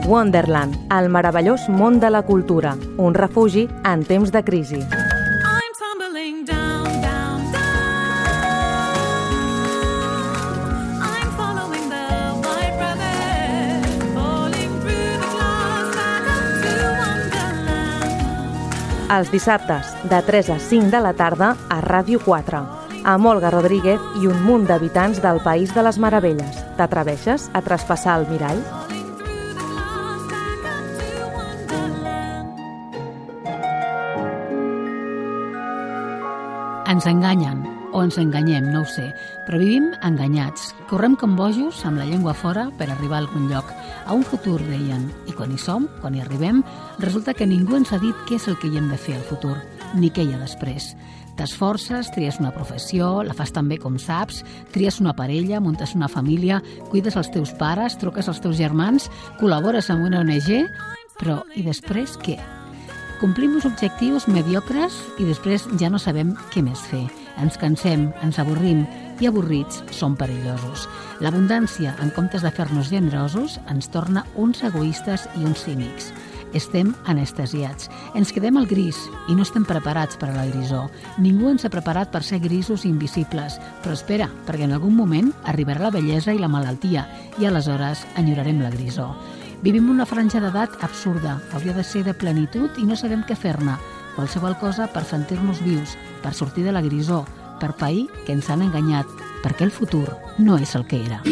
Wonderland, el meravellós món de la cultura, un refugi en temps de crisi. Els dissabtes, de 3 a 5 de la tarda, a Ràdio 4, amb Olga Rodríguez i un munt d'habitants del País de les Meravelles. T'atreveixes a traspassar el mirall? Ens enganyen, o ens enganyem, no ho sé, però vivim enganyats. Correm com bojos amb la llengua fora per arribar a algun lloc, a un futur, deien. I quan hi som, quan hi arribem, resulta que ningú ens ha dit què és el que hi hem de fer al futur, ni què hi ha després. T'esforces, tries una professió, la fas tan bé com saps, tries una parella, muntes una família, cuides els teus pares, truques als teus germans, col·labores amb una ONG, però i després què? Complim uns objectius mediocres i després ja no sabem què més fer. Ens cansem, ens avorrim i avorrits som perillosos. L'abundància, en comptes de fer-nos generosos, ens torna uns egoistes i uns cínics. Estem anestesiats. Ens quedem al gris i no estem preparats per a la grisor. Ningú ens ha preparat per ser grisos i invisibles. Però espera, perquè en algun moment arribarà la bellesa i la malaltia i aleshores enyorarem la grisor. Vivim una franja d'edat absurda, hauria de ser de plenitud i no sabem què fer-ne. Qualsevol cosa per sentir-nos vius, per sortir de la grisor, per pair que ens han enganyat, perquè el futur no és el que era.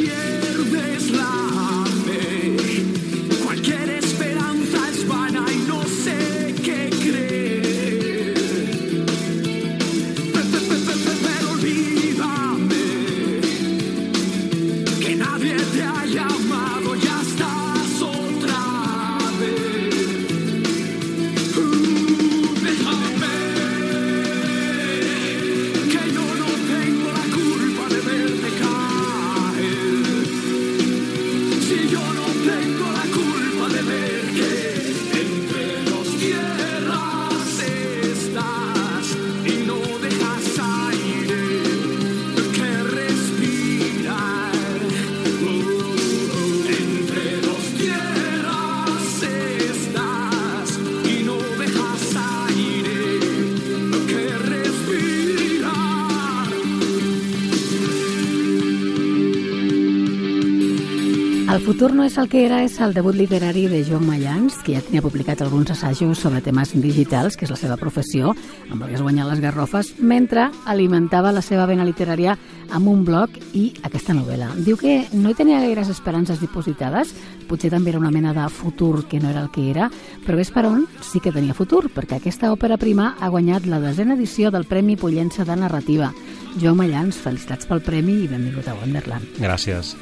El futur no és el que era és el debut literari de Joan Mayans, que ja tenia publicat alguns assajos sobre temes digitals, que és la seva professió, amb el que es guanyar les garrofes, mentre alimentava la seva vena literària amb un blog i aquesta novel·la. Diu que no hi tenia gaires esperances dipositades, potser també era una mena de futur que no era el que era, però ves per on sí que tenia futur, perquè aquesta òpera prima ha guanyat la 10a edició del Premi Pollença de Narrativa. Joan Mayans, felicitats pel premi i benvingut a Wonderland. Gràcies.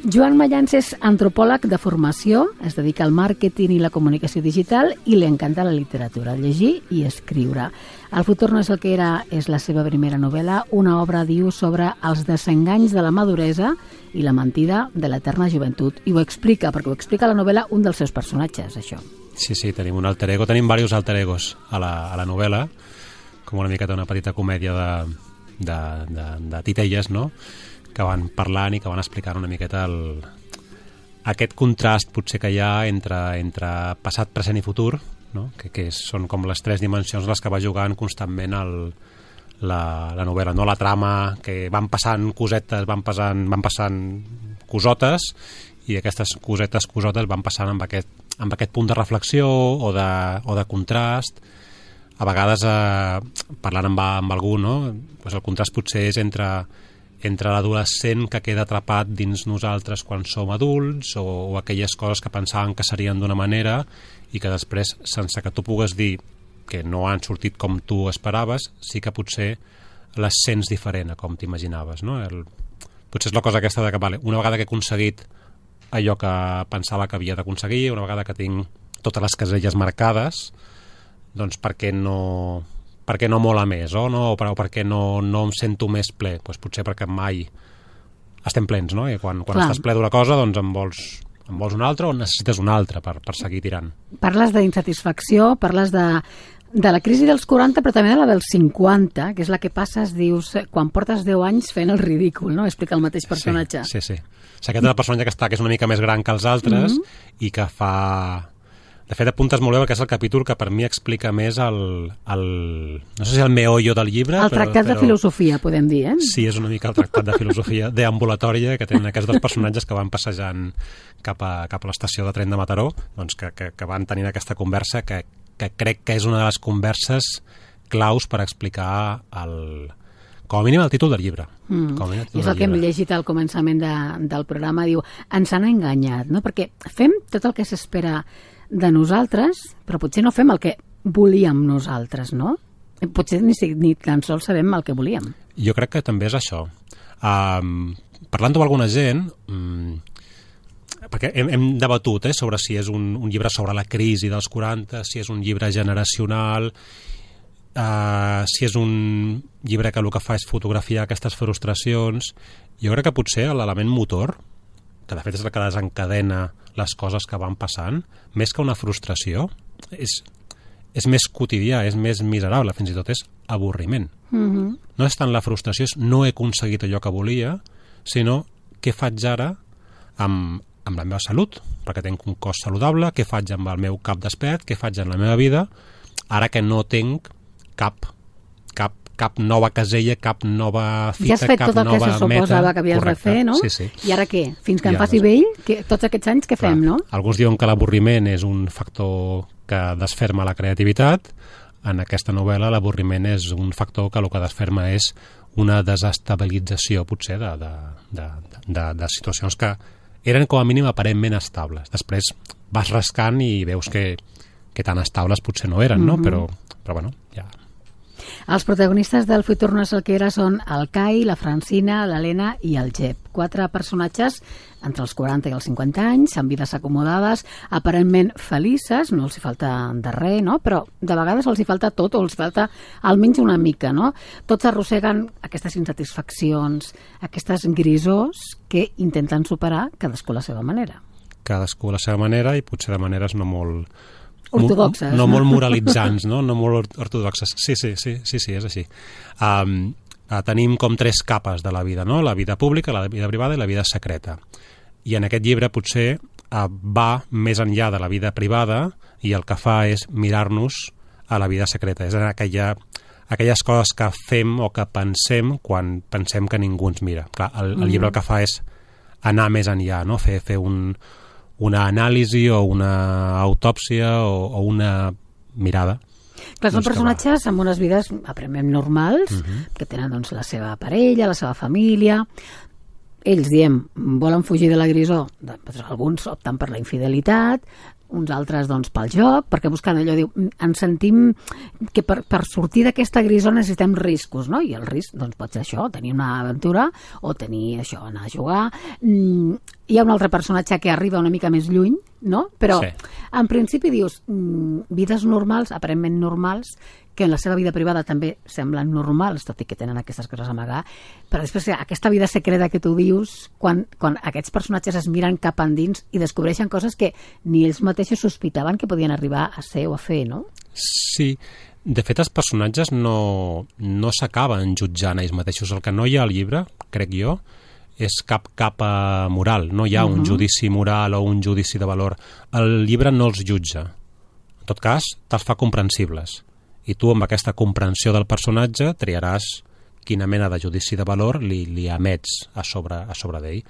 Joan Mayans és antropòleg de formació, es dedica al màrqueting i la comunicació digital i li encanta la literatura, llegir i escriure. El futur no és el que era és la seva primera novel·la, una obra, diu, sobre els desenganys de la maduresa i la mentida de l'eterna joventut. I ho explica, perquè ho explica la novel·la un dels seus personatges, això. Sí, tenim un alter ego, tenim diversos alter egos a la novel·la, com una miqueta una petita comèdia de titelles, no?, que van parlant i que van explicant una miqueta aquest contrast potser que hi ha entre passat, present i futur, no? que són com les tres dimensions les que va jugant constantment la novel·la, no? La trama, que van passant cosetes, van passant cosotes, i aquestes cosotes van passant amb aquest punt de reflexió o de contrast. A vegades, parlant amb algú, no? Pues el contrast potser és entre l'adolescent que queda atrapat dins nosaltres quan som adults o aquelles coses que pensàvem que serien d'una manera i que després, sense que tu pugues dir que no han sortit com tu esperaves, sí que potser les sents diferent a com t'imaginaves, no? Potser és la cosa aquesta de que una vegada que he aconseguit allò que pensava que havia d'aconseguir, una vegada que tinc totes les caselles marcades, doncs per què no mola més, o per què no em sento més ple? Doncs potser perquè mai estem plens, no? I quan estàs ple d'una cosa, doncs en vols una altra o necessites una altra per seguir tirant. Parles d'insatisfacció, parles De la crisi dels 40, però també de la dels 50, que és la que passes, dius, quan portes 10 anys fent el ridícul, no? Explica el mateix personatge. Sí. O sigui, aquest és el personatge que és una mica més gran que els altres i que fa... De fet, apuntes molt bé perquè és el capítol que per mi explica més no sé si el meollo del llibre... El tractat de filosofia, podem dir, eh? Sí, és una mica el tractat de filosofia deambulatòria que tenen aquests dos personatges que van passejant cap a l'estació de tren de Mataró, doncs que van tenint aquesta conversa que crec que és una de les converses claus per explicar com a mínim el títol del llibre. I és el que hem llegit al començament del programa, diu, ens han enganyat, no? Perquè fem tot el que s'espera de nosaltres, però potser no fem el que volíem nosaltres, no? Potser ni tan sols sabem el que volíem. Jo crec que també és això. Parlant amb alguna gent, perquè hem debatut sobre si és un llibre sobre la crisi dels 40, si és un llibre generacional, si és un llibre que el que fa és fotografiar aquestes frustracions. Jo crec que potser l'element motor, que de fet és el que desencadena les coses que van passant, més que una frustració, és més quotidià, és més miserable, fins i tot és avorriment. No és tant la frustració, és no he aconseguit allò que volia, sinó què faig ara amb la meva salut, perquè tinc un cos saludable, què faig amb el meu cap despert, què faig en la meva vida, ara que no tinc cap nova casella, cap nova fita, ja has fet cap tot el que se suposava que havies de fer, no? Sí. I ara què? Fins que em faci vell? Tots aquests anys què fem, no? Alguns diuen que l'avorriment és un factor que desferma la creativitat. En aquesta novel·la l'avorriment és un factor que el que desferma és una desestabilització, potser, de situacions que eren com a mínim aparentment estables. Després vas rascant i veus que tan estables potser no eren, no? Però bueno, ja... Els protagonistes del Futur no és el que era són el Kai, la Francina, l'Helena i el Jep. 4 personatges entre els 40 i els 50 anys, amb vides acomodades, aparentment felices, no els hi falta de res, no? Però de vegades els hi falta tot, o els hi falta almenys una mica, no? Tots arrosseguen aquestes insatisfaccions, aquestes grisors que intenten superar cadascú a la seva manera. Cadascú a la seva manera i potser de maneres no molt... ortodoxes. No molt moralitzants, no? No molt ortodoxes. Sí, és així. Tenim com 3 capes de la vida, no? La vida pública, la vida privada i la vida secreta. I en aquest llibre potser va més enllà de la vida privada i el que fa és mirar-nos a la vida secreta. És aquelles coses que fem o que pensem quan pensem que ningú ens mira. Clar, el llibre el que fa és anar més enllà, no? Fer una anàlisi o una autòpsia o una mirada. Clar, són personatges amb unes vides aparentment normals, que tenen doncs, la seva parella, la seva família. Ells, diem, volen fugir de la grisor. Alguns opten per la infidelitat, uns altres doncs, pel joc, perquè buscant allò, diu, ens sentim que per sortir d'aquesta grisor necessitem riscos, no? I el risc doncs, pot ser això, tenir una aventura o tenir això, anar a jugar. Hi ha un altre personatge que arriba una mica més lluny, no? Però sí. En principi dius, vides normals, aparentment normals, que en la seva vida privada també semblen normals, tot i que tenen aquestes coses a amagar, però després aquesta vida secreta que tu dius, quan aquests personatges es miren cap endins i descobreixen coses que ni ells mateixos sospitaven que podien arribar a ser o a fer, no? Sí, de fet els personatges no s'acaben jutjant ells mateixos. El que no hi ha al llibre, crec jo, és cap capa moral, no hi ha un judici moral o un judici de valor. El llibre no els jutja, en tot cas te'ls fa comprensibles. I tu amb aquesta comprensió del personatge triaràs quina mena de judici de valor li emets a sobre d'ell.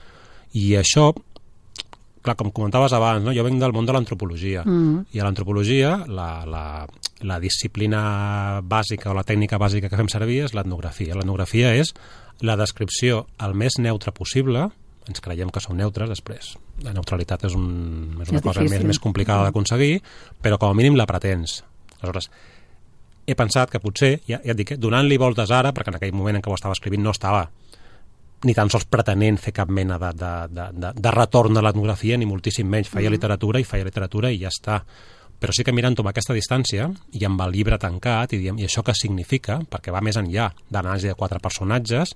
I això, clar, com comentaves abans, no? Jo venc del món de l'antropologia, i a l'antropologia la disciplina bàsica o la tècnica bàsica que fem servir és l'etnografia. L'etnografia és la descripció el més neutra possible, ens creiem que som neutres després. La neutralitat és una cosa més complicada d'aconseguir, però com a mínim la pretens. Aleshores, he pensat que potser, ja et dic, donant-li voltes ara, perquè en aquell moment en què ho estava escrivint no estava ni tan sols pretenent fer cap mena de retorn a l'etnografia, ni moltíssim menys. Feia literatura i ja està. Però sí que mirant-ho amb aquesta distància i amb el llibre tancat, i això què significa, perquè va més enllà d'anàlisi de 4 personatges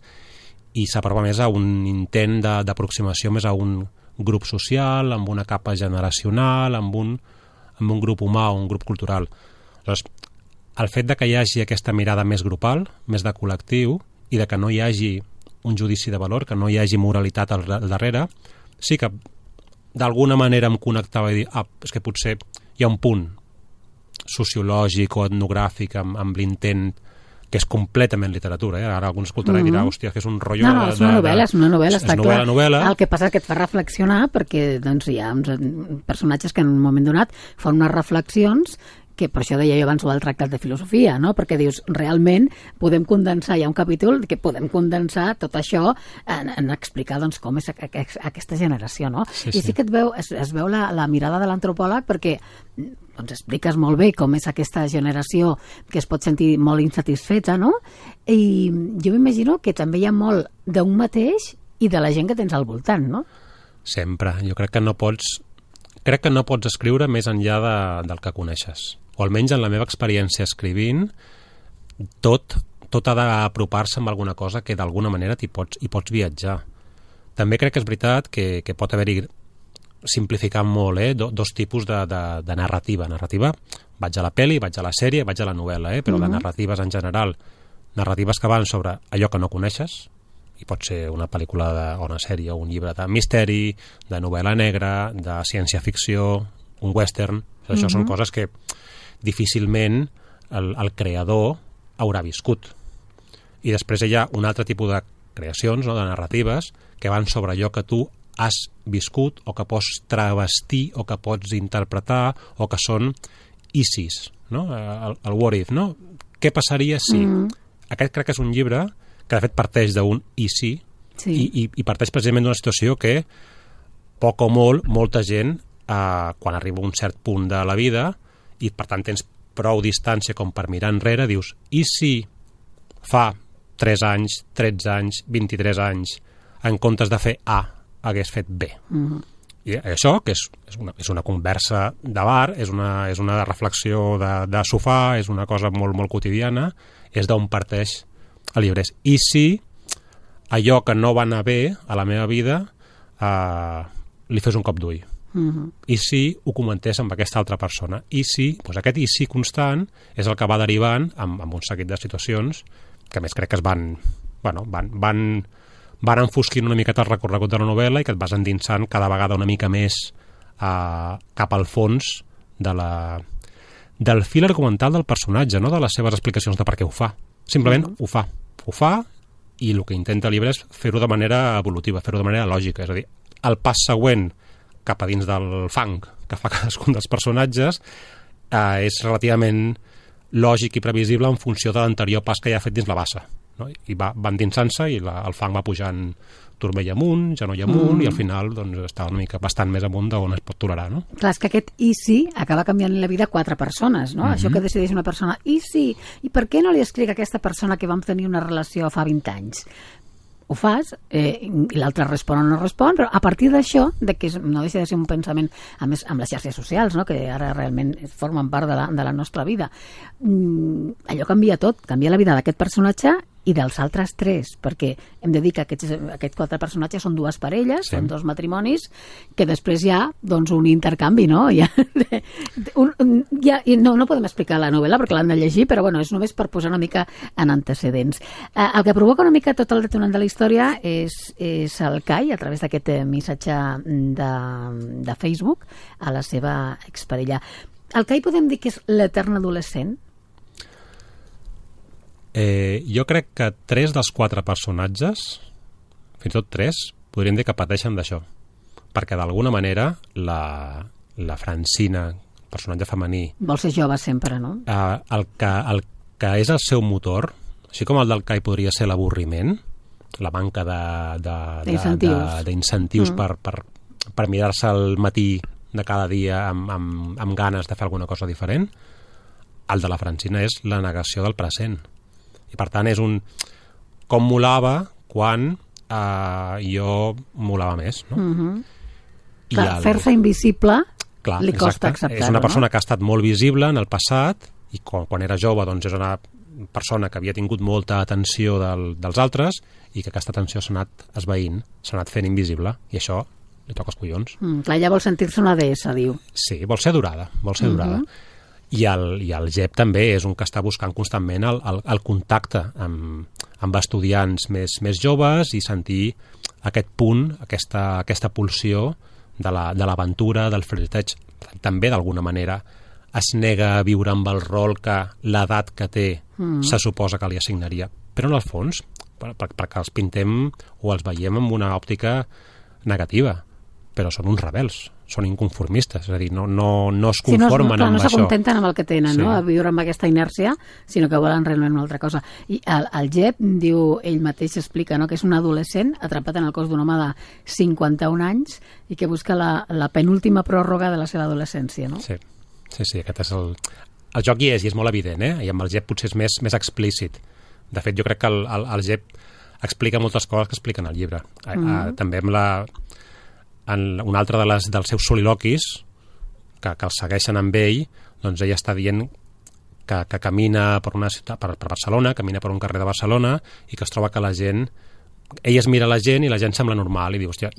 i s'aprova més a un intent d'aproximació més a un grup social, amb una capa generacional, amb un grup humà o un grup cultural. Aleshores, el fet de que hi hagi aquesta mirada més grupal, més de col·lectiu, i de que no hi hagi un judici de valor, que no hi hagi moralitat al darrere, sí que d'alguna manera em connectava i dir, és que potser hi ha un punt sociològic o etnogràfic amb l'intent que és completament literatura, Ara algun escoltarà i dirà, hòstia, que és un rotllo... No, és una novel·la, està clar. Novel·la. El que passa és que et fa reflexionar perquè doncs, hi ha uns personatges que en un moment donat fan unes reflexions que per això deia jo abans del tractat de filosofia, no? Perquè dius, realment podem condensar, hi ha un capítol que podem condensar tot això en explicar doncs, com és aquesta generació, no? Sí, I sí que es veu la mirada de l'antropòleg perquè doncs expliques molt bé com és aquesta generació que es pot sentir molt insatisfeta, no? I jo m'imagino que també hi ha molt d'un mateix i de la gent que tens al voltant, no? Sempre. Jo crec que no pots escriure més enllà del que coneixes. O almenys en la meva experiència escrivint, tot ha d'apropar-se amb alguna cosa que d'alguna manera hi pots viatjar. També crec que és veritat que pot haver-hi, simplificant molt, dos tipus de narrativa. Narrativa, vaig a la pel·li, vaig a la sèrie, vaig a la novel·la, però de narratives en general, narratives que van sobre allò que no coneixes, i pot ser una pel·lícula o una sèrie o un llibre de misteri, de novel·la negra, de ciència-ficció, un western. Això són coses que difícilment el creador haurà viscut. I després hi ha un altre tipus de creacions, de narratives, que van sobre allò que tu has viscut o que pots travestir o que pots interpretar o que són ISIS, no? El what if, no? Què passaria si? Aquest crec que és un llibre que de fet parteix d'un ISI i parteix precisament d'una situació que poc o molt, molta gent quan arriba a un cert punt de la vida i per tant tens prou distància com per mirar enrere, dius, i si fa 3 anys, 13 anys, 23 anys, en comptes de fer A, hagués fet B. I això, que és una conversa de bar, és una reflexió de sofà, és una cosa molt, molt quotidiana, és d'on parteix el llibre. I si allò que no va anar bé a la meva vida li fes un cop d'ull? I si ho comentés amb aquesta altra persona? I si, doncs aquest i si constant és el que va derivant amb un seguit de situacions que més crec que es van enfosquint una miqueta el recorregut de la novel·la i que et vas endinsant cada vegada una mica més cap al fons del fil argumental del personatge, no de les seves explicacions de per què ho fa. Simplement ho fa i el que intenta el llibre és fer-ho de manera evolutiva, fer-ho de manera lògica, és a dir, el pas següent cap a dins del fang que fa cadascun dels personatges és relativament lògic i previsible en funció de l'anterior pas que ja ha fet dins la bassa, no? I va endinsant-se i el fang va pujant turmell amunt, genoll amunt i al final doncs, està una mica bastant més amunt d'on es pot tolerar, no? Clar, és que aquest i si acaba canviant la vida a 4 persones, no? Això que decideix una persona, i si, i per què no li escric a aquesta persona que vam tenir una relació fa 20 anys? Ho fas, i l'altre respon o no respon, però a partir d'això, que no deixa de ser un pensament, a més, amb les xarxes socials, no? Que ara realment formen part de la nostra vida, allò canvia tot, canvia la vida d'aquest personatge i dels altres 3, perquè hem de dir que aquests 4 personatges són 2 parelles, són 2 matrimonis, que després hi ha doncs, un intercanvi, no? No podem explicar la novel·la perquè l'han de llegir, però bueno, és només per posar una mica en antecedents. El que provoca una mica tot el detonant de la història és el Kai, a través d'aquest missatge de Facebook, a la seva exparella. El Kai podem dir que és l'etern adolescent? Jo crec que 3 dels 4 personatges, fins i tot 3, podríem dir que pateixen d'això, perquè d'alguna manera la Francina, personatge femení, vol ser jove sempre, no? El que és el seu motor, així com el del Kai podria ser l'avorriment, la manca d'incentius per mirar-se al matí de cada dia amb ganes de fer alguna cosa diferent, el de la Francina és la negació del present. I per tant és com molava quan jo molava més, no? Clar, fer-se invisible li costa acceptar-ho, és una persona que ha estat molt visible en el passat i quan era jove doncs és una persona que havia tingut molta atenció dels altres i que aquesta atenció s'ha anat esvaint, s'ha anat fent invisible i això li toca els collons. Clar, ella vol sentir-se una deessa, diu. Sí, vol ser adorada, I el Jep també és un que està buscant constantment el contacte amb estudiants més joves i sentir aquest punt, aquesta pulsió de l'aventura, del flirteig. També, d'alguna manera, es nega a viure amb el rol que l'edat que té se suposa que li assignaria. Però, en el fons, perquè els pintem o els veiem amb una òptica negativa, però són uns rebels, són inconformistes, és a dir, no es conformen amb això. No s'acontenten amb el que tenen, sí. No? A viure amb aquesta inèrcia, sinó que volen realment una altra cosa. I el Jep, diu, ell mateix explica, no? Que és un adolescent atrapat en el cos d'un home de 51 anys i que busca la penúltima pròrroga de la seva adolescència, no? Sí, aquest és el joc hi és molt evident, i amb el Jep potser és més explícit. De fet, jo crec que el Jep explica moltes coses que expliquen al llibre. També amb un altre dels seus soliloquis que el segueixen amb ell, doncs ell està dient que camina per una ciutat, per Barcelona, camina per un carrer de Barcelona i que es troba que la gent, ell es mira la gent i la gent sembla normal i diu, hòstia,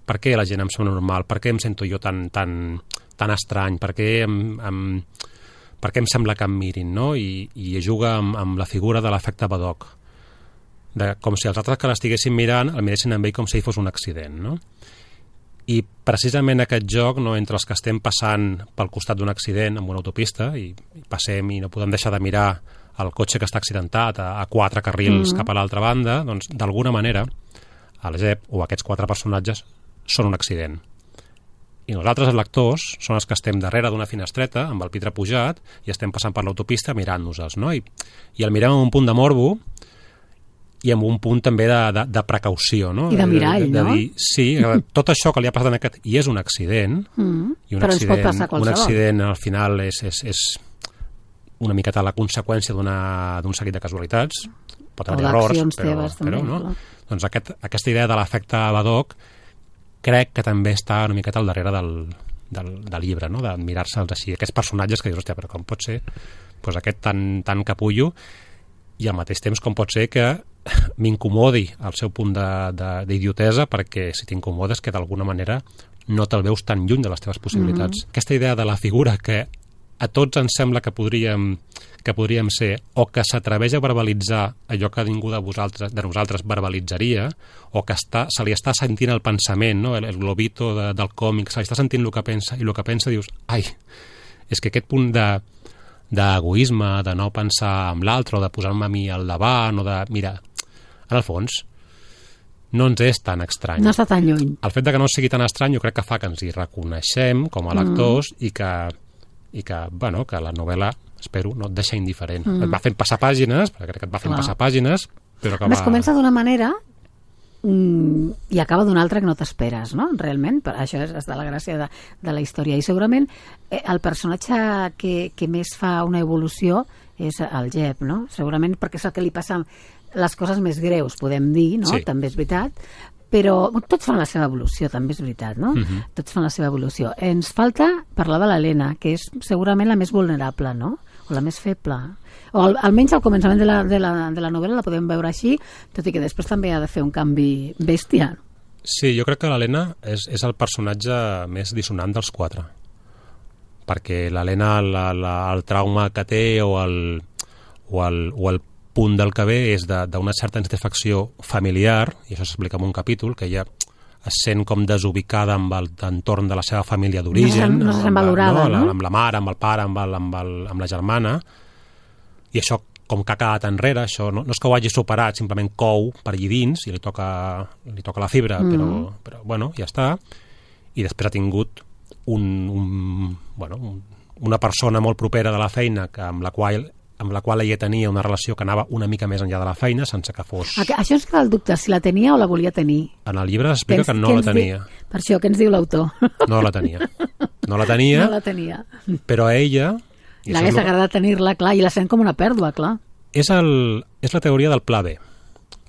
per què la gent em sembla normal? Per què em sento jo tan estrany? Per què em sembla que em mirin? No? I juga amb la figura de l'efecte Badoc, com si els altres que l'estiguessin mirant el miressin amb ell com si fos un accident, no? I precisament aquest joc, entre els que estem passant pel costat d'un accident amb una autopista i passem i no podem deixar de mirar el cotxe que està accidentat a 4 carrils cap a l'altra banda, doncs d'alguna manera el Jep o aquests 4 personatges són un accident. I nosaltres, els lectors, són els que estem darrere d'una finestreta amb el vidre pujat i estem passant per l'autopista mirant-nos-els, no? I el mirem amb un punt de morbo i amb un punt també de precaució, no? I de mirall, no? Dir, sí, tot això que li ha passat en aquest... I és un accident. I un però ens pot passar qualsevol. Un accident, al final, és una miqueta la conseqüència d'un seguit de casualitats. Pot haver errors, però no? Doncs aquesta idea de l'efecte Badoc crec que també està una miqueta al darrere del llibre, no? De mirar-se'ls així. Aquests personatges que dius, hòstia, però com pot ser doncs aquest tan capullo i al mateix temps com pot ser que m'incomodi el seu punt d'idiotesa, perquè si t'incomodes que d'alguna manera no te'l veus tan lluny de les teves possibilitats. Aquesta idea de la figura que a tots ens sembla que podríem ser, o que s'atreveix a verbalitzar allò que ningú de nosaltres verbalitzaria, o que se li està sentint el pensament, no? El globito del còmic, se li està sentint el que pensa, i el que pensa dius, ai, és que aquest punt d'egoisme, de no pensar en l'altre, o de posar-me a mi al davant, o de, mira, en el fons, no ens és tan estrany. No està tan lluny. El fet de que no sigui tan estrany jo crec que fa que ens hi reconeixem com a lectors i que la novel·la, espero, no et deixa indiferent. Et va fent passar pàgines, perquè crec que et va fent passar pàgines, però que va... comença d'una manera i acaba d'una altra que no t'esperes, no? Realment, això és de la gràcia de la història. I segurament el personatge que més fa una evolució és el Jep, no? Segurament perquè és el que li passa les coses més greus, podem dir, no? Sí. També és veritat, però tots fan la seva evolució, també és veritat, no? Tots fan la seva evolució. Ens falta parlar de l'Helena, que és segurament la més vulnerable, no? O la més feble. O almenys al començament de la novel·la la podem veure així, tot i que després també ha de fer un canvi bèstia. Sí, jo crec que l'Helena és el personatge més dissonant dels 4. Perquè l'Helena, el trauma que té o el punt del que ve és d'una certa insatisfacció familiar, i això s'explica en un capítol, que ella es sent com desubicada amb l'entorn de la seva família d'origen, no se sent valorada, no? Amb la mare, amb el pare, amb la germana, i això com que ha quedat enrere, això no és que ho hagi superat, simplement cou per allí dins i li toca la fibra, però bueno, ja està. I després ha tingut una persona molt propera de la feina amb la qual ella tenia una relació que anava una mica més enllà de la feina, sense que fos... Això és que el dubte, si la tenia o la volia tenir. En el llibre s'explica que no la tenia. Per això, què ens diu l'autor? No la tenia. No la tenia. Però a ella... L'hagués agradat tenir-la, clar, i la sent com una pèrdua, clar. És la teoria del pla B.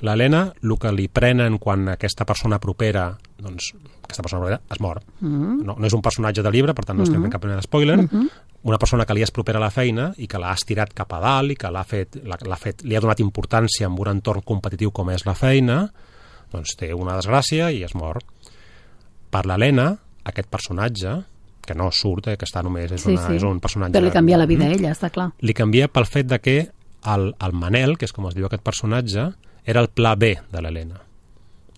L'Helena, el que li prenen quan aquesta persona propera, doncs, aquesta persona propera es mor. No és un personatge de llibre, per tant no estem fent cap mena d'espoiler. Una persona que li és propera a la feina i que l'ha estirat cap a dalt i que li ha donat importància en un entorn competitiu com és la feina, doncs té una desgràcia i es mor. Per l'Helena, aquest personatge, que no surt, que està només, és un personatge... Però li canvia la vida a ella, està clar. Li canvia pel fet de que el Manel, que és com es diu aquest personatge, era el pla B de l'Helena.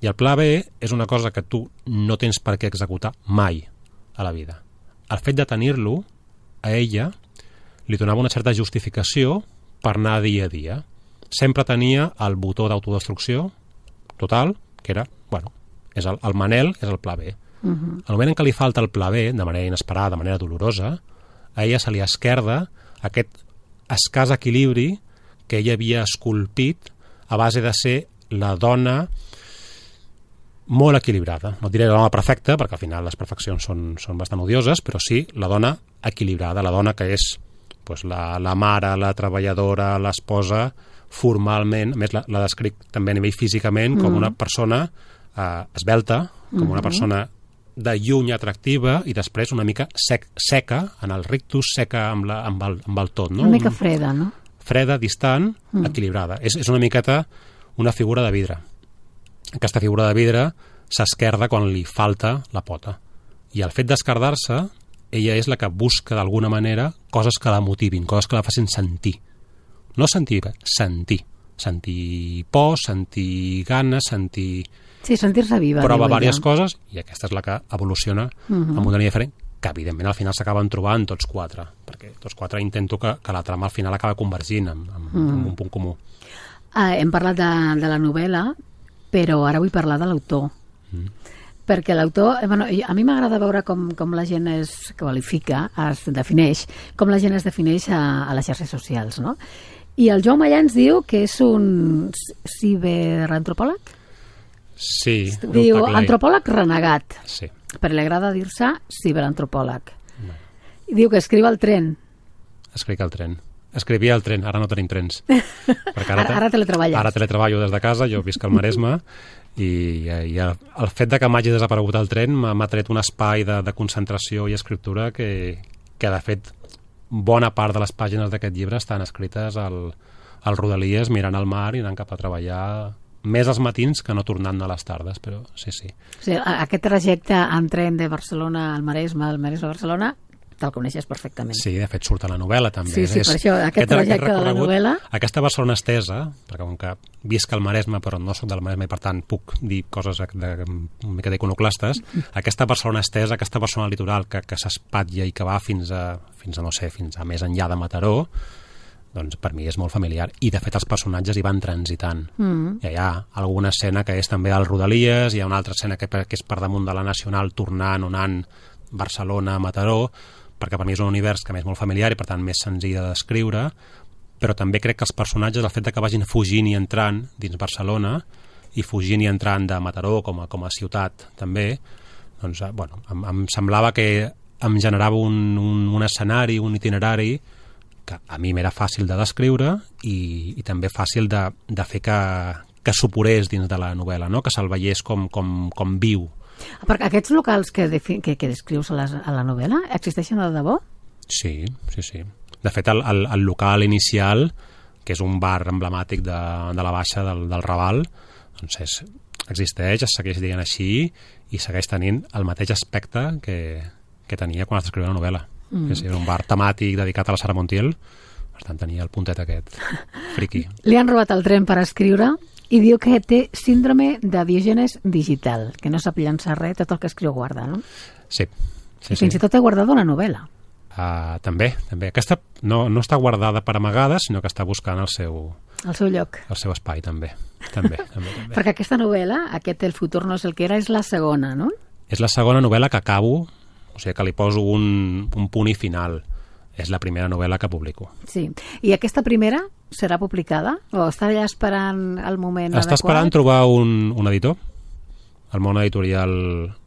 I el pla B és una cosa que tu no tens per què executar mai a la vida. El fet de tenir-lo, a ella, li donava una certa justificació per anar dia a dia. Sempre tenia el botó d'autodestrucció total, que era, és el Manel és el pla B. Al moment en què li falta el pla B, de manera inesperada, de manera dolorosa, a ella se li esquerda aquest escàs equilibri que ella havia esculpit a base de ser la dona molt equilibrada. No diré la dona perfecta, perquè al final les perfeccions són bastant odioses, però sí la dona equilibrada, la dona que és la mare, la treballadora, l'esposa, formalment, a més la descric també a nivell físicament com una persona esbelta, com una persona de lluny atractiva i després una mica seca, en el rictus, seca amb el tot. No? Una mica freda, no? Freda, distant, equilibrada. És una miqueta una figura de vidre. Aquesta figura de vidre s'esquerda quan li falta la pota. I el fet d'esquerdar-se, ella és la que busca d'alguna manera coses que la motivin, coses que la facin sentir. No sentir, sentir. Sentir por, sentir ganes, sentir... Sí, sentir-se viva. Prova diverses coses i aquesta és la que evoluciona amb una línia diferent, que evidentment al final s'acaben trobant tots quatre, perquè tots quatre intento que la trama al final acaba convergint amb un punt comú. Hem parlat de la novel·la, però ara vull parlar de l'autor. Perquè l'autor... a mi m'agrada veure com la gent es qualifica, es defineix, com la gent es defineix a les xarxes socials, no? I el Joan Mallà ens diu que és un ciberantropòleg? Sí. Diu antropòleg renegat. Sí. Però li agrada dir-se ciberantropòleg. I diu que escriu al tren. Escric al tren. Escrivia al tren, ara no tenim trens. Ara teletreballes. Ara teletreballo des de casa, jo visc al Maresme, i el fet de que m'hagi desaparegut el tren m'ha tret un espai de concentració i escriptura que de fet bona part de les pàgines d'aquest llibre estan escrites al Rodalies mirant al mar i anant cap a treballar més als matins que no tornant a les tardes, però sí. O sigui, aquest trajecte en tren de Barcelona al Maresme, al Maresme a Barcelona, te'l coneixes perfectament. Sí, de fet surt a la novel·la també. Sí, per això, aquest trajecte de la novel·la... Aquesta Barcelona estesa, perquè com que visc al Maresme però no soc del Maresme i per tant puc dir coses una mica d'iconoclastes, aquesta Barcelona estesa, aquesta Barcelona litoral que s'espatlla i que va fins a més enllà de Mataró, doncs per mi és molt familiar. I de fet els personatges hi van transitant. Hi ha alguna escena que és també al Rodalies, hi ha una altra escena que és per damunt de la Nacional tornant o anant Barcelona a Mataró, perquè per mi és un univers que és molt familiar i per tant més senzill de descriure, però també crec que els personatges, el fet que vagin fugint i entrant dins Barcelona i fugint i entrant de Mataró com a ciutat també, doncs em semblava que em generava un escenari, un itinerari que a mi m'era fàcil de descriure i també fàcil de fer que suporés dins de la novel·la, no? Que se'l veiés com viu. Perquè aquests locals que descrius a la novel·la existeixen de debò? Sí. De fet, el local inicial, que és un bar emblemàtic de la Baixa del Raval, doncs existeix, es segueix dient així i segueix tenint el mateix aspecte que tenia quan es descrivia la novel·la. És un bar temàtic dedicat a la Sara Montiel, per tant tenia el puntet aquest friqui. Li han robat el tren per escriure i diu que té síndrome de Diògenes digital, que no sap llançar res, tot el que escriu guarda, no? Sí. Fins i tot he guardat una novel·la. També. Aquesta no està guardada per amagada, sinó que està buscant el seu lloc. El seu espai, també. Perquè aquesta novel·la, El futur no és el que era, és la segona, no? És la segona novel·la que acabo, o sigui que li poso un punt i final. És la primera novel·la que publico. Sí. I aquesta primera serà publicada? O està allà esperant el moment adequat? Està esperant trobar un editor. El món editorial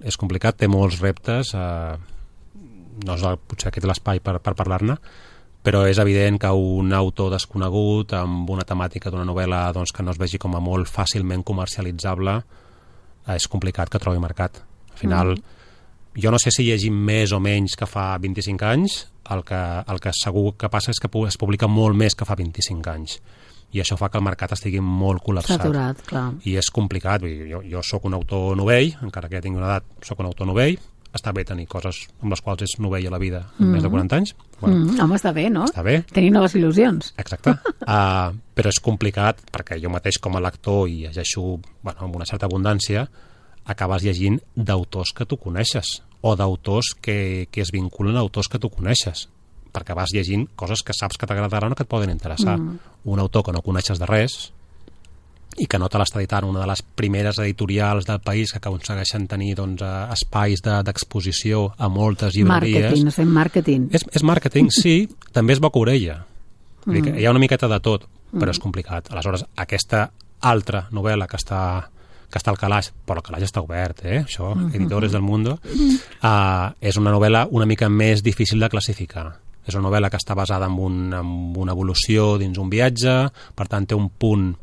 és complicat, té molts reptes, no és potser aquest l'espai per parlar-ne, però és evident que un autor desconegut amb una temàtica d'una novel·la doncs, que no es vegi com a molt fàcilment comercialitzable és complicat que trobi mercat. Al final, jo no sé si llegim més o menys que fa 25 anys, el que segur que passa és que es publica molt més que fa 25 anys. I això fa que el mercat estigui molt col·lapsat. Saturat, clar. I és complicat. Jo soc un autor novell, encara que tingui una edat, soc un autor novell, està bé tenir coses amb les quals és novell a la vida en més de 40 anys. Bueno, home, està bé, no? Està bé. Tenir noves il·lusions. Exacte. Però és complicat perquè jo mateix com a lector, i llegeixo amb una certa abundància, acabes llegint d'autors que tu coneixes o d'autors que es vinculen a autors que tu coneixes, perquè vas llegint coses que saps que t'agradaran o que et poden interessar. Un autor que no coneixes de res i que no te l'està editant una de les primeres editorials del país que aconsegueixen tenir espais d'exposició a moltes llibreries. Màrqueting, estem màrqueting. És màrqueting, sí, també és boca orella. Hi ha una miqueta de tot, però és complicat. Aleshores, aquesta altra novel·la que està al calaix, però el calaix està obert, això, Editores del Mundo, és una novel·la una mica més difícil de classificar. És una novel·la que està basada en una evolució dins un viatge, per tant té un punt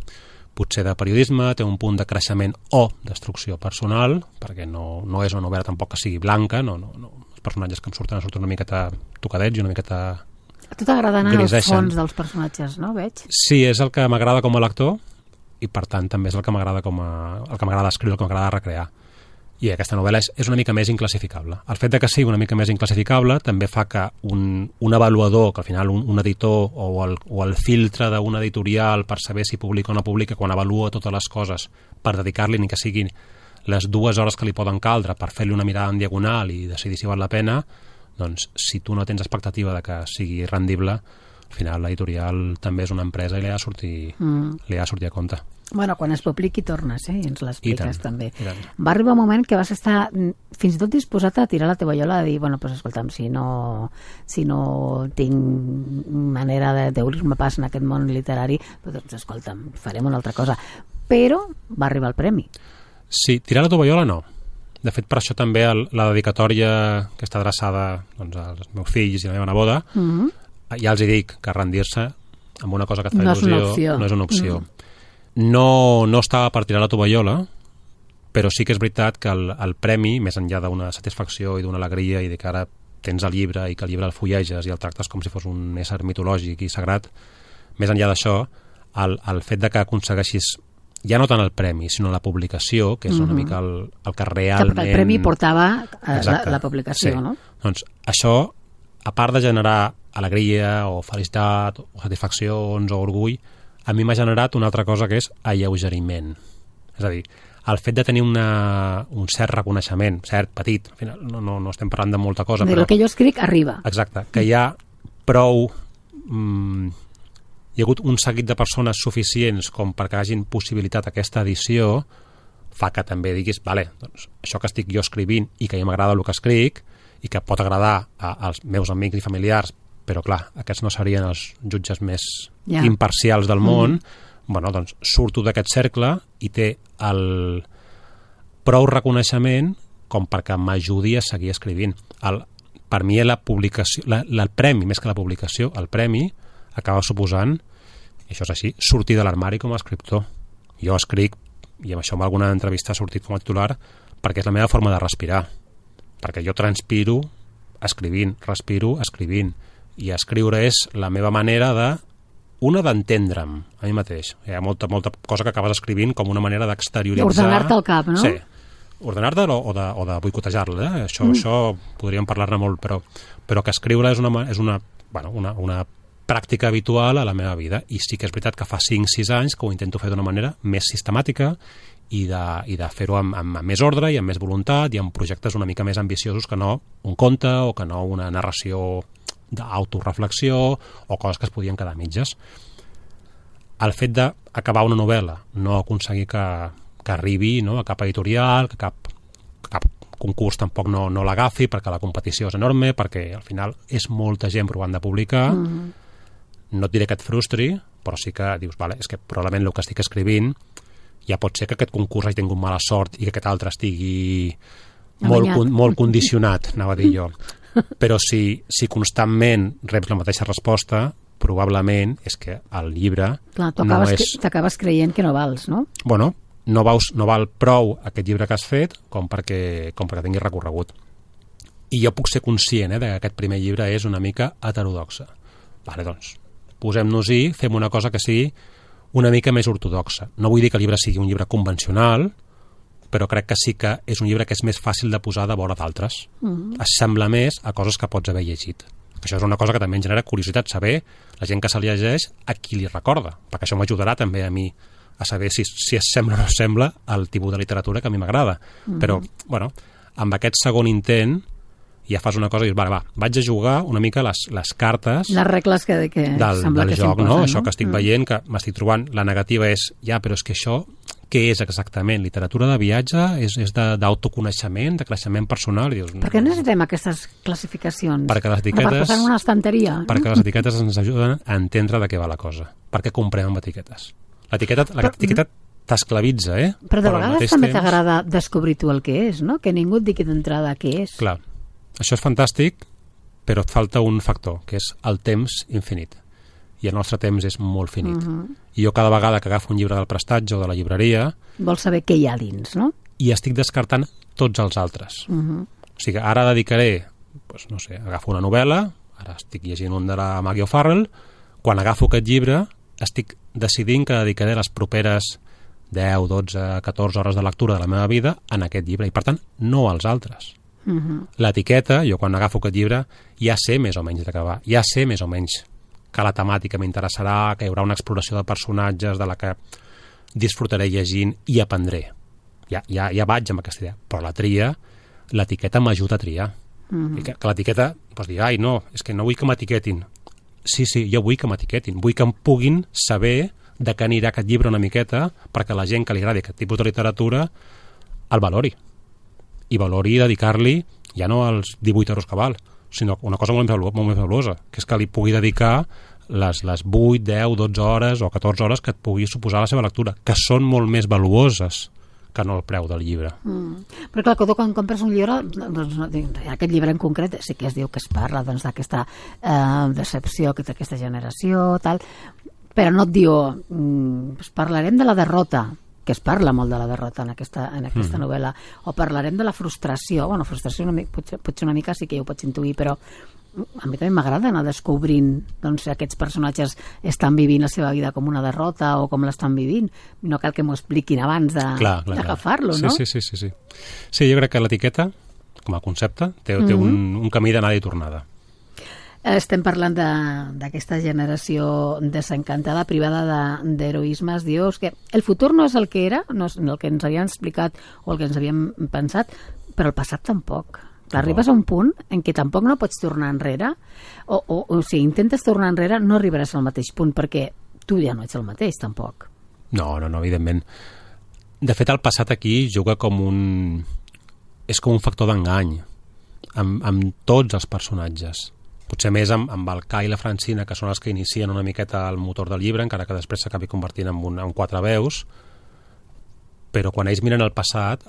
potser de periodisme, té un punt de creixement o destrucció personal, perquè no és una novel·la tampoc que sigui blanca, els personatges que em surten una miqueta tocadets i una miqueta A tu t'agrada anar als griseixen. fons dels personatges, no, veig? Sí, és el que m'agrada com a lector i per tant també és el que m'agrada escriure, el que m'agrada recrear. I aquesta novel·la és una mica més inclassificable. El fet de que sigui una mica més inclassificable també fa que un avaluador, que al final un editor o el filtre d'un editorial per saber si publica o no publica, quan avalua totes les coses per dedicar-li ni que siguin les 2 hores que li poden caldre per fer-li una mirada en diagonal i decidir si val la pena, doncs si tu no tens expectativa de que sigui rendible, al final l'editorial també és una empresa i li ha de sortir a compte. Bueno, quan es publiqui tornes, i ens l'expliques també. I tant. Va arribar un moment que vas estar fins i tot disposat a tirar la tovallola, a dir, bueno, pues escolta'm, si no tinc manera d'obrir-me pas en aquest món literari, doncs escolta'm, farem una altra cosa. Però va arribar el premi. Sí, tirar la tovallola no. De fet, per això també la dedicatòria que està adreçada als meus fills i a la meva neboda, ja els dic que rendir-se amb una cosa que et fa il·lusió no és una opció. No estava per tirar la tovallola, però sí que és veritat que el premi, més enllà d'una satisfacció i d'una alegria i de que ara tens el llibre i que el llibre el fulleges i el tractes com si fos un ésser mitològic i sagrat, més enllà d'això, el fet de que aconsegueixis ja no tant el premi, sinó la publicació, que és una mica el que realment... El premi portava la publicació, sí. No? Doncs això, a part de generar alegria o felicitat o satisfaccions o orgull, a mi m'ha generat una altra cosa que és alleugeriment. És a dir, el fet de tenir un cert reconeixement, cert, petit, al final no estem parlant de molta cosa, però... el que jo escric arriba. Exacte, que hi ha prou... hi ha hagut un seguit de persones suficients com perquè hagin possibilitat aquesta edició, fa que també diguis, vale, doncs això que estic jo escrivint i que a mi m'agrada el que escric i que pot agradar als meus amics i familiars, però clar, aquests no serien els jutges més imparcials del món, bueno, doncs surto d'aquest cercle i té el prou reconeixement com perquè m'ajudi a seguir escrivint. Per mi la publicació, el premi, més que la publicació, el premi acaba suposant, i això és així, sortir de l'armari com a escriptor. Jo escric, i amb això en alguna entrevista ha sortit com a titular, perquè és la meva forma de respirar. Perquè jo transpiro escrivint, respiro escrivint, i escriure és la meva manera d'entendre'm a mi mateix. Hi ha molta cosa que acabes escrivint com una manera d'exterioritzar... Ordenar-te el cap, no? Sí, ordenar-te o de boicotejar-la. Això podríem parlar-ne molt, però que escriure és una pràctica habitual a la meva vida, i sí que és veritat que fa 5-6 anys que ho intento fer d'una manera més sistemàtica i de fer-ho amb més ordre i amb més voluntat i amb projectes una mica més ambiciosos que no un conte o que no una narració d'autoreflexió o coses que es podien quedar a mitges. El fet d'acabar una novel·la, no aconseguir que arribi a cap editorial, que cap concurs tampoc no l'agafi perquè la competició és enorme, perquè al final és molta gent provant de publicar, no et diré que et frustri, però sí que dius, vale, és que probablement el que estic escrivint ja pot ser que aquest concurs hagi tingut mala sort i que aquest altre estigui molt condicionat, anava a dir jo. Però si constantment reps la mateixa resposta, probablement és que el llibre t'acabes creient que no vals, no? Bueno, no val prou aquest llibre que has fet com perquè tingui recorregut. I jo puc ser conscient que aquest primer llibre és una mica heterodoxa. Vale, doncs, posem-nos-hi, fem una cosa que sigui una mica més ortodoxa. No vull dir que el llibre sigui un llibre convencional, però crec que sí que és un llibre que és més fàcil de posar de vora d'altres. S'assembla més a coses que pots haver llegit. Això és una cosa que també em genera curiositat, saber la gent que se li llegeix a qui li recorda, perquè això m'ajudarà també a mi a saber si es sembla o no sembla al tipus de literatura que a mi m'agrada. Però, bueno, amb aquest segon intent ja fas una cosa i dius, vaig a jugar una mica les cartes... Les regles que sembla que joc, s'imposen, no? Això que estic veient, que m'estic trobant, la negativa és, però és que això, què és exactament? Literatura de viatge? És d'autoconeixement, de creixement personal? I dius, per què necessitem aquestes classificacions? Perquè les etiquetes... Per posar en una estanteria? Perquè les etiquetes ens ajuden a entendre de què va la cosa. Per què comprem amb etiquetes? L'etiqueta t'esclavitza, Però de vegades també t'agrada descobrir tu el que és, no? Que ningú et digui d'entrada què és. Clar. Això és fantàstic, però et falta un factor, que és el temps infinit. I el nostre temps és molt finit. I jo cada vegada que agafo un llibre del prestatge o de la llibreria... Vols saber què hi ha dins, no? I estic descartant tots els altres. O sigui, ara dedicaré, doncs, no sé, agafo una novel·la, ara estic llegint un de la Maggie O'Farrell, quan agafo aquest llibre estic decidint que dedicaré les properes 10, 12, 14 hores de lectura de la meva vida en aquest llibre, i per tant, no als altres. L'etiqueta, jo quan agafo aquest llibre ja sé més o menys de què va, ja sé més o menys que la temàtica m'interessarà, que hi haurà una exploració de personatges de la que disfrutaré llegint i aprendré. Ja vaig amb aquesta idea, però la tria, l'etiqueta m'ajuda a triar. I que l'etiqueta pots dir, no, és que no vull que m'etiquetin. Sí, jo vull que m'etiquetin, vull que em puguin saber de què anirà aquest llibre una miqueta perquè la gent que li agradi aquest tipus de literatura el valori. I valori dedicar-li ja no als 18 euros que val, sinó una cosa molt més valuosa, que és que li pugui dedicar les 8, 10, 12 hores o 14 hores que et pugui suposar la seva lectura, que són molt més valuoses que no el preu del llibre. Però clar, quan compres un llibre, doncs, aquest llibre en concret sí que es diu que es parla d'aquesta decepció, d'aquesta generació, tal, però no et diu parlarem de la derrota, que es parla molt de la derrota en aquesta novel·la, o parlarem de la frustració. Bueno, frustració potser una mica sí que ja ho pots intuir, però a mi també m'agrada anar descobrint aquests personatges estan vivint la seva vida com una derrota o com l'estan vivint. No cal que m'ho expliquin abans d'agafar-lo, no? Sí. Sí, jo crec que l'etiqueta, com a concepte, té un camí d'anada i tornada. Estem parlant d'aquesta generació desencantada, privada d'heroismes. Dius que el futur no és el que era, no és el que ens havien explicat o el que ens havíem pensat, però el passat tampoc. Arribes a un punt en què tampoc no pots tornar enrere, o si intentes tornar enrere no arribaràs al mateix punt, perquè tu ja no ets el mateix, tampoc. No, evidentment. De fet, el passat aquí juga és com un factor d'engany amb tots els personatges. Potser més amb el Kai i la Francina, que són els que inicien una miqueta el motor del llibre, encara que després s'acabi convertint en 4 veus, però quan ells miren el passat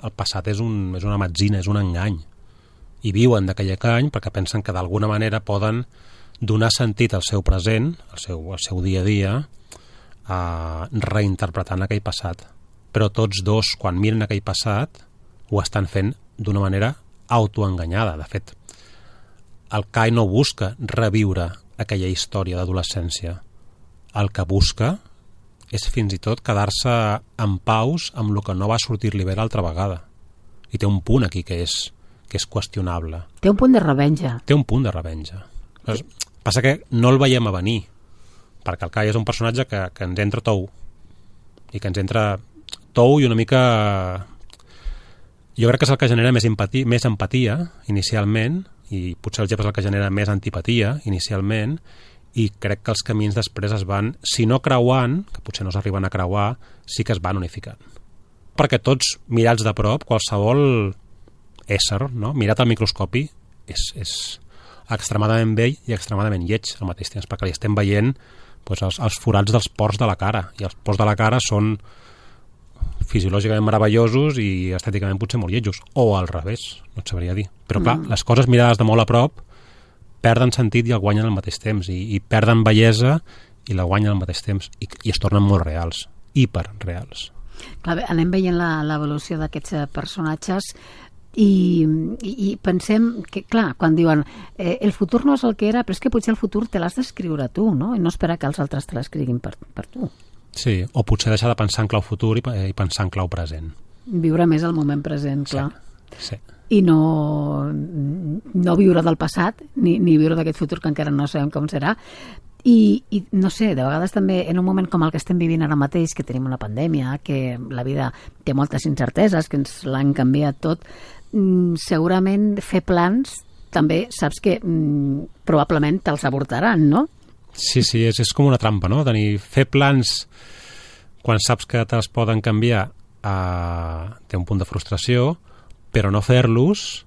és una metzina, és un engany. I viuen d'aquell engany perquè pensen que d'alguna manera poden donar sentit al seu present, al seu dia a dia, reinterpretant aquell passat. Però tots dos, quan miren aquell passat, ho estan fent d'una manera autoenganyada. De fet, el Kai no busca reviure aquella història d'adolescència. El que busca és fins i tot quedar-se en paus amb el que no va sortir-li bé l'altra vegada. I té un punt aquí que és qüestionable. Té un punt de revenja. Passa que no el veiem a venir, perquè el Kai és un personatge que ens entra tou, i que ens entra tou i una mica... Jo crec que és el que genera més empatia inicialment, i potser el Jep és el que genera més antipatia inicialment, i crec que els camins després es van, si no creuant, que potser no s'arriben a creuar, sí que es van unificant. Perquè tots, mirats de prop, qualsevol ésser, no? Mirat al microscopi, és extremadament vell i extremadament lleig al mateix temps, perquè li estem veient els forats dels pors de la cara, i els pors de la cara són fisiològicament meravellosos i estèticament potser molt lletjos, o al revés, no et sabria dir. Però clar, les coses mirades de molt a prop perden sentit i el guanyen al mateix temps, i perden bellesa i la guanyen al mateix temps, i es tornen molt reals, hiperreals. Clar, anem veient l'evolució d'aquests personatges i pensem que, clar, quan diuen el futur no és el que era, però és que potser el futur te l'has d'escriure tu, no? I no esperar que els altres te l'escriguin per tu. Sí, o potser deixar de pensar en clau futur i pensar en clau present. viure més el moment present, clar. Sí. I no viure del passat, ni viure d'aquest futur que encara no sabem com serà. I no sé, de vegades també en un moment com el que estem vivint ara mateix, que tenim una pandèmia, que la vida té moltes incerteses, que ens l'han canviat tot, segurament fer plans també saps que probablement te'ls avortaran, no? Sí, és com una trampa, no? Fer plans quan saps que te'ls poden canviar té un punt de frustració, però no fer-los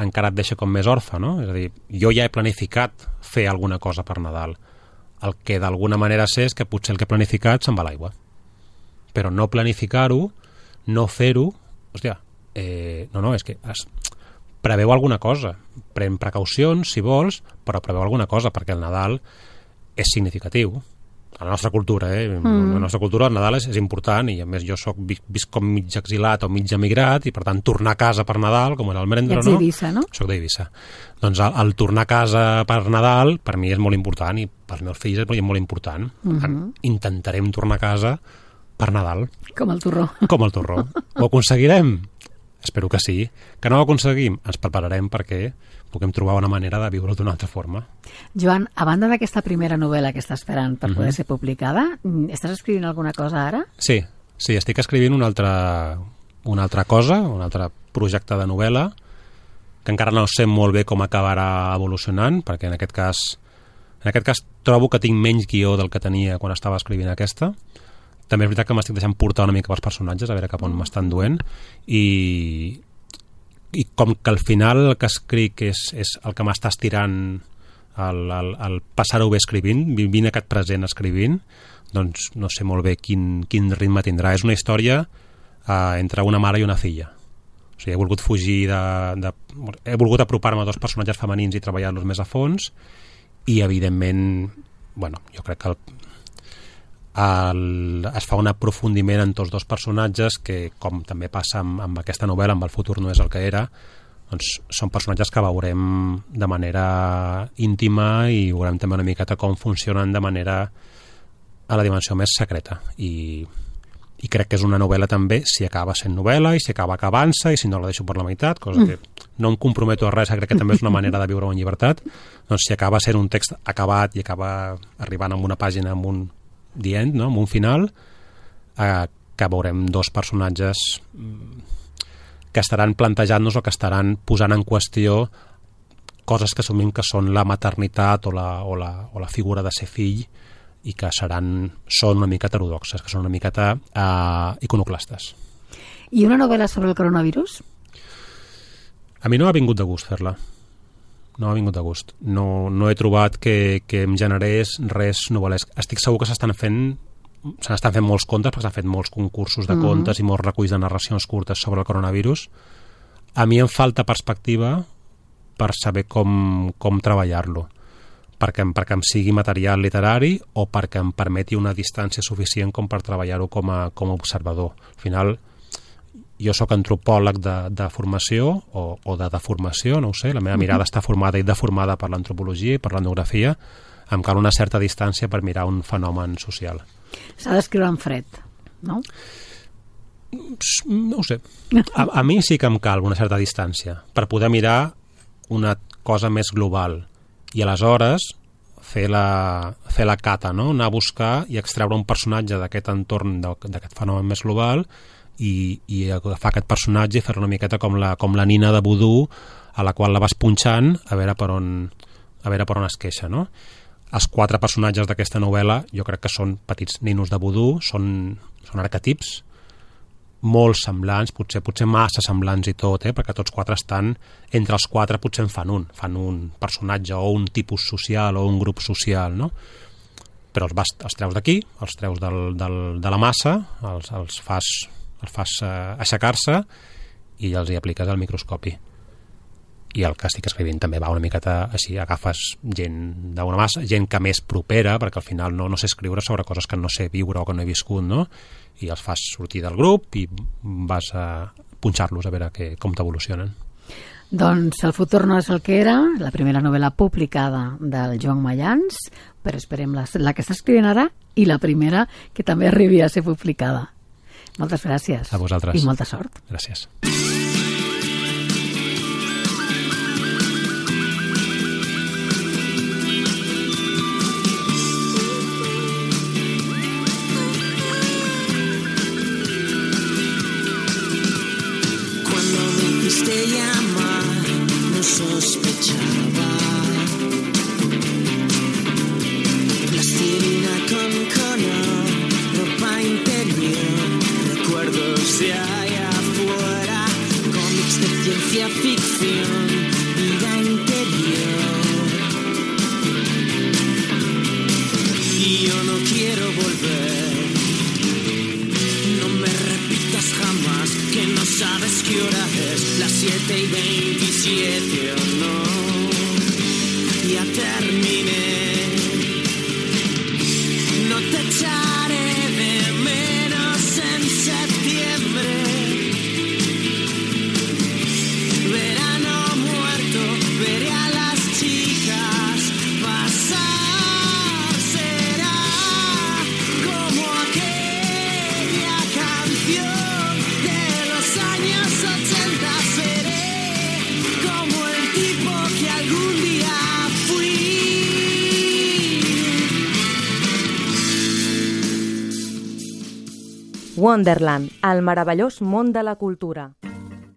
encara et deixa com més orfe, no? És a dir, jo ja he planificat fer alguna cosa per Nadal. El que d'alguna manera sé és que potser el que he planificat se'n va a l'aigua. Però no planificar-ho, no fer-ho, hòstia, no, és que preveu alguna cosa. Pren precaucions, si vols, però preveu alguna cosa, perquè el Nadal és significatiu. A la nostra cultura, la nostra cultura el Nadal és important, i a més jo visc com mig exilat o mig emigrat, i per tant tornar a casa per Nadal, com era el Merendro, no? Ets d'Eivissa, no? Soc d'Eivissa. Doncs el tornar a casa per Nadal per mi és molt important, i pels meus fills és molt important. Intentarem tornar a casa per Nadal. Com el torró. Com el torró. Ho aconseguirem? Espero que sí. Que no ho aconseguim? Ens prepararem perquè puguem trobar una manera de viure-ho d'una altra forma. Joan, a banda d'aquesta primera novel·la que estàs esperant per poder ser publicada, estàs escrivint alguna cosa ara? Sí, estic escrivint una altra cosa, un altre projecte de novel·la, que encara no sé molt bé com acabarà evolucionant, perquè en aquest cas trobo que tinc menys guió del que tenia quan estava escrivint aquesta. També és veritat que m'estic deixant portar una mica pels personatges, a veure cap on m'estan duent, i com que al final el que escric és el que m'està estirant el passar-ho bé escrivint, vivint aquest present escrivint, doncs no sé molt bé quin ritme tindrà. És una història entre una mare i una filla. O sigui, he volgut fugir he volgut apropar-me a dos personatges femenins i treballar-los més a fons, i evidentment, jo crec que es fa un aprofundiment en tots dos personatges que, com també passa amb aquesta novel·la, amb El futur no és el que era, doncs són personatges que veurem de manera íntima i veurem també una miqueta com funcionen de manera a la dimensió més secreta, i crec que és una novel·la també, si acaba sent novel·la i si acaba acabant-se, i si no la deixo per la meitat, cosa que no em comprometo a res, crec que també és una manera de viure en llibertat. Doncs si acaba sent un text acabat i acaba arribant amb una pàgina, amb un the end, no? Amb un final, que veurem dos personatges que estaran plantejant-nos o que estaran posant en qüestió coses que assumim que són la maternitat o la figura de ser fill, i que són una mica heterodoxes, que són una miqueta iconoclastes. I una novel·la sobre el coronavirus? A mi no m'ha vingut de gust fer-la. No m'ha vingut de gust. No he trobat que em generés res novel·lesc. Estic segur que se n'estan fent molts contes, perquè s'han fet molts concursos de contes i molts reculls de narracions curtes sobre el coronavirus. A mi em falta perspectiva per saber com treballar-lo, perquè em sigui material literari o perquè em permeti una distància suficient com per treballar-ho com a observador. Al final, jo sóc antropòleg de formació o de deformació, no ho sé, la meva mirada està formada i deformada per l'antropologia i per l'etnografia, em cal una certa distància per mirar un fenomen social. S'ha d'escriure en fred, no? No ho sé. A mi sí que em cal una certa distància per poder mirar una cosa més global i aleshores fer la cata, no? Anar a buscar i extreure un personatge d'aquest entorn, d'aquest fenomen més global, i agafar aquest personatge i fer-lo una miqueta com la nina de vudú a la qual la vas punxant a veure per on es queixa, no? Els quatre personatges d'aquesta novel·la jo crec que són petits ninos de vudú, són arquetips molt semblants, potser massa semblants i tot, perquè tots quatre estan, entre els quatre potser en fan un personatge o un tipus social o un grup social, no? Però els treus d'aquí, els treus de la massa, els fas aixecar-se i els hi apliques el microscopi. I el que estic escrivint també va una miqueta així, agafes gent d'una massa, gent que més propera, perquè al final no sé escriure sobre coses que no sé viure o que no he viscut, no? I els fas sortir del grup i vas a punxar-los a veure com t'evolucionen. Doncs El futur no és el que era, la primera novel·la publicada del Joan Mayans, però esperem la que està escrivint ara i la primera que també arribi a ser publicada. Moltes gràcies. A vosaltres. I molta sort. Gràcies. Te llamar, no sospechaba. Plastilina con color, ropa interior, recuerdos de allá afuera, cómics de ciencia ficción, vida interior. Y yo no quiero volver. No me repitas jamás que no sabes qué hora es, las 7:27 o no. Ya terminé. No te echaré de menos en septiembre. Verano muerto, veré a las chicas pasar. Será como aquella canción de los años 80. Seré como el tipo que algún día fui. Wonderland, el meravellós món de la cultura.